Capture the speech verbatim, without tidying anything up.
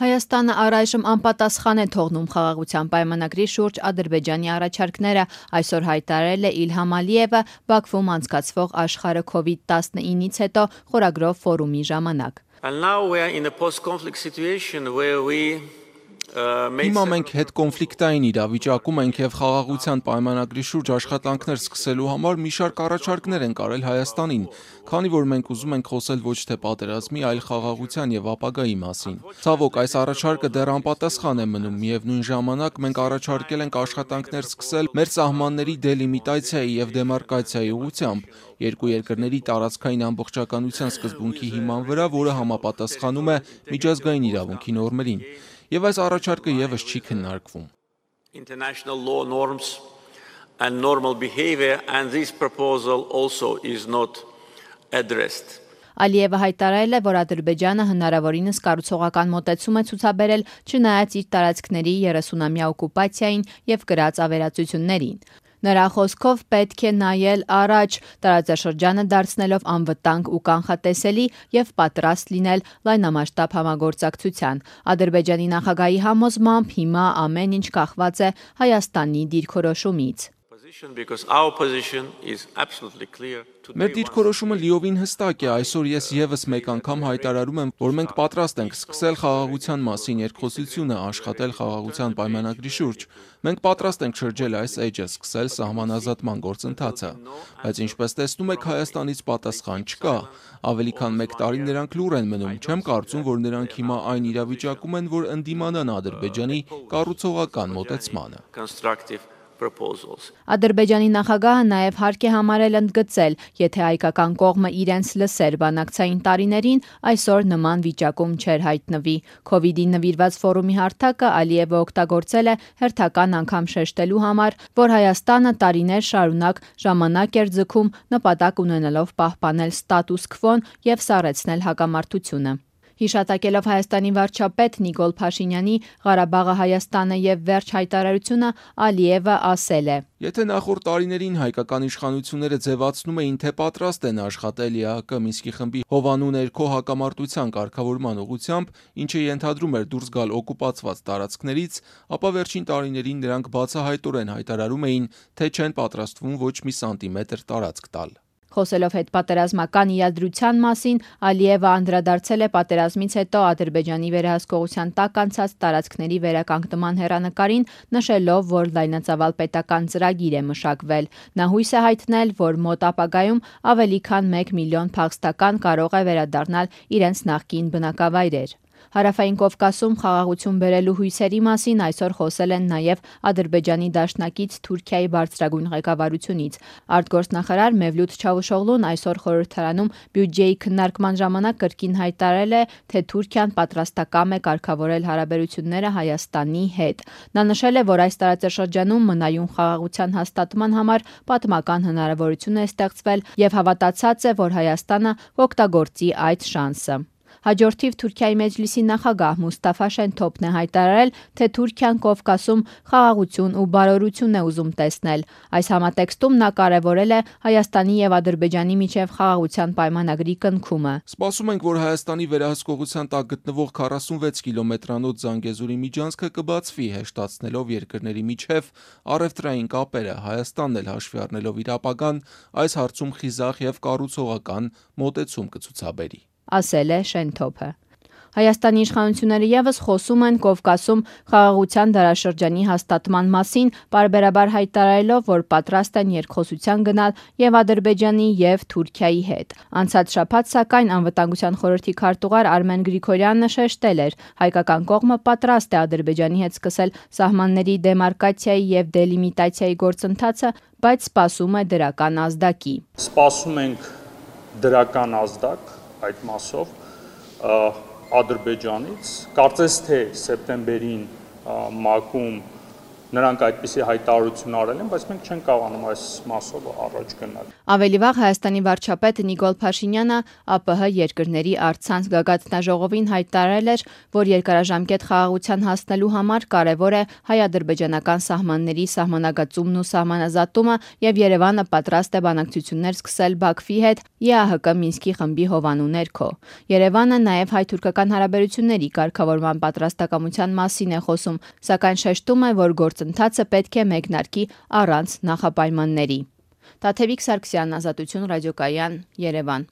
Հայաստանը առայժմ անպատասխան է թողնում խաղաղության պայմանագրի շուրջ Ադրբեջանի առաջարկները, այսօր հայտարարել է Իլհամ Ալիևը Բաքվում անցկացվող աշխարհը քովիդ տասնինից հետո խորագրով ֆորումի ժամանակ։ Հիմա մենք հետկոնֆլիկտային իրավիճակում ենք և խաղաղության պայմանագրի շուրջ աշխատանքներ սկսելու համար մի շարք առաջարկներ ենք արել Հայաստանին, քանի որ մենք ուզում ենք խոսել ոչ թե պատերազմի, այլ խաղաղության և ապագայի մասին։ Ցավոք, այս առաջարկը դեռ անպատասխան է մնում, միևնույն ժամանակ մենք առաջարկել ենք աշխատանքներ սկսել մեր սահմանների դելիմիտացիայի և դեմարկացիայի ուղղությամբ, երկու երկրների տարածքային ամբողջականության սկզբունքի հիման վրա, որը համապատասխանում է միջազգային իրավունքի նորմերին։ Եվ այս առաջարկը ևս չի քննարկվում։ International law norms and normal behavior and this proposal also is not addressed. Ալիևը հայտարարել է, որ Ադրբեջանը հնարավորինս կառուցողական մոտեցում է ցուցաբերել, չնայած իր տարածքների երեսունամյա օկուպացիային և կրած ավերածություններին։ Նրա խոսքով պետք է նայել առաջ, տարածաշրջանը դարձնելով անվտանգ ու կանխատեսելի և պատրաստ լինել լայնամասշտաբ համագործակցության։ Ադրբեջանի նախագահի համոզմամբ հիմա ամեն ինչ կախված է Հայաստանի դիրքորոշումից։ Մեր դիրքորոշումը լիովին հստակ է, այսօր ես ևս մեկ անգամ հայտարարում եմ, որ մենք պատրաստ ենք սկսել խաղաղության մասին երկխոսությունը, աշխատել խաղաղության պայմանագրի շուրջ։ Մենք պատրաստ ենք շրջել այս էջը, սկսել սահմանազատման գործընթացը։ Բայց ինչպես տեսնում եք, Հայաստանից պատասխան չկա։ Ավելի քան մեկ տարի նրանք լուռ են մնում, չեմ կարծում, որ նրանք հիմա այն իրավիճակում են, որ ընդդիմանան Ադրբեջանի կառուցողական մոտեցմանը։ Ադրբեջանի նախագահը նաև հարկ է համարել ընդգծել, եթե հայկական կողմը իրենց լսեր բանակցային տարիներին, այսօր նման վիճակում չէր հայտնվի։ Քովիդին նվիրված ֆորումի հարթակը Ալիևը օգտագործել է հերթական անգամ շեշտելու համար, որ Հայաստանը տարիներ շարունակ ժամանակ էր ձգում նպատակ ունենալով պահպանել ստատուս քվոն և սառեցնել հակամարտությունը։ Հիշատակելով Հայաստանի վարչապետ Նիկոլ Փաշինյանի «Ղարաբաղը Հայաստանը և վերջ» հայտարարությունը, Ալիևը ասել է. Եթե նախորդ տարիներին հայկական իշխանությունները ձևացնում էին, թե պատրաստ են աշխատել ԵԱՀԿ Մինսկի խմբի հովանու ներքո հակամարտության կարգավորման ուղղությամբ, ինչը ենթադրում էր դուրս գալ օկուպացված տարածքներից, ապա վերջին տարիներին նրանք բացահայտորեն հայտարարում էին, թե չեն պատրաստվում ոչ մի սանտիմետր տարածք տալ։ Խոսելով հետպատերազմական իրադրության մասին, Ալիևը անդրադարձել է պատերազմից հետո Ադրբեջանի վերահսկողության տակ անցած տարածքների վերականգնման հեռանկարին, նշելով, որ լայնածավալ պետական ծրագիր է մշակվել։ Նա հույս է հայտնել, որ մոտ ապագայում ավելի քան մեկ միլիոն փախստական կարող է վերադառնալ իրենց նախկին բնակավայրեր։ Հարավային Կովկասում խաղաղություն բերելու հույսերի մասին այսօր խոսել են նաև Ադրբեջանի դաշնակից Թուրքիայի բարձրագույն ղեկավարությունից։ Արտգործնախարար Մևլութ Չավուշօղլուն այսօր խորհրդարանում բյուջեի քննարկման ժամանակ կրկին հայտարարել է, թե Թուրքիան պատրաստակամ է կարգավորել հարաբերությունները Հայաստանի հետ։ Նա նշել է, որ այս տարածաշրջանում մնայուն խաղաղության հաստատման համար պատմական հնարավորություն է ստեղծվել և հավատացած է, որ Հայաստանը կօգտագործի այդ շանսը։ Հաջորդիվ Թուրքիայի Մեջլիսի նախագահ Մուստաֆա Շենթոփն է հայտարարել, թե Թուրքիան Կովկասում խաղաղություն ու բարօրություն է ուզում տեսնել։ Այս համատեքստում նա կարևորել է Հայաստանի և Ադրբեջանի միջև խաղաղության պայմանագրի կնքումը։ Սպասում ենք, որ Հայաստանի վերահսկողության տակ գտնվող քառասունվեց կիլոմետրանոց Զանգեզուրի միջանցքը կբացվի, հեշտացնելով երկրների միջև առևտրային կապերը, Հայաստանն էլ հաշվի առնելով իր ապագան, այս հարցում խիզախ և կառուցողական մոտեցում կցուցաբերի, ասել է Շենթոփը։ Հայաստանի իշխանությունները ևս խոսում են Կովկասում խաղաղության դարաշրջանի հաստատման մասին, պարբերաբար հայտարարելով, որ պատրաստ են երկխոսության գնալ և Ադրբեջանի և Թուրքիայի հետ։ Անցած շաբաթ, սակայն, Անվտանգության խորհրդի քարտուղար Արմեն Գրիգորյանը շեշտել էր, հայկական կողմը պատրաստ է Ադրբեջանի հետ սկսել սահմանների դեմարկացիայի և դելիմիտացիայի գործընթացը, բայց սպասում է դրական ազդակի։ Սպասում ենք դրական ազդակ այդ մասով Ադրբեջանից, կարծես թե սեպտեմբերին ՄԱԿ-ում նրանք այդպիսի հայտարարություն արել են, բայց մենք չենք կարողանում այս մասով առաջ գնալ։ Ավելի վաղ Հայաստանի վարչապետ Նիկոլ Փաշինյանը ԱՊՀ երկրների առցանց գագաթնաժողովին հայտարարել էր, որ երկարաժամկետ խաղաղության հասնելու համար կարևոր է հայ-ադրբեջանական սահմանների սահմանագծումն ու սահմանազատումը եւ Երևանը պատրաստ է բանակցություններ սկսել Բաքվի հետ ԵԱՀԿ Մինսկի խմբի հովանու ներքո։ Երևանը նաեւ հայ-թուրքական հարաբերությունների կարգավորման պատրաստակամության մասին է խոսում, սակայն շեշտում է, որ գործընթացը պետք է մեկնարկի առանց նախապայմանների։ Տաթևիկ Սարգսյան, Ազատություն ռադիոկայան, Երևան։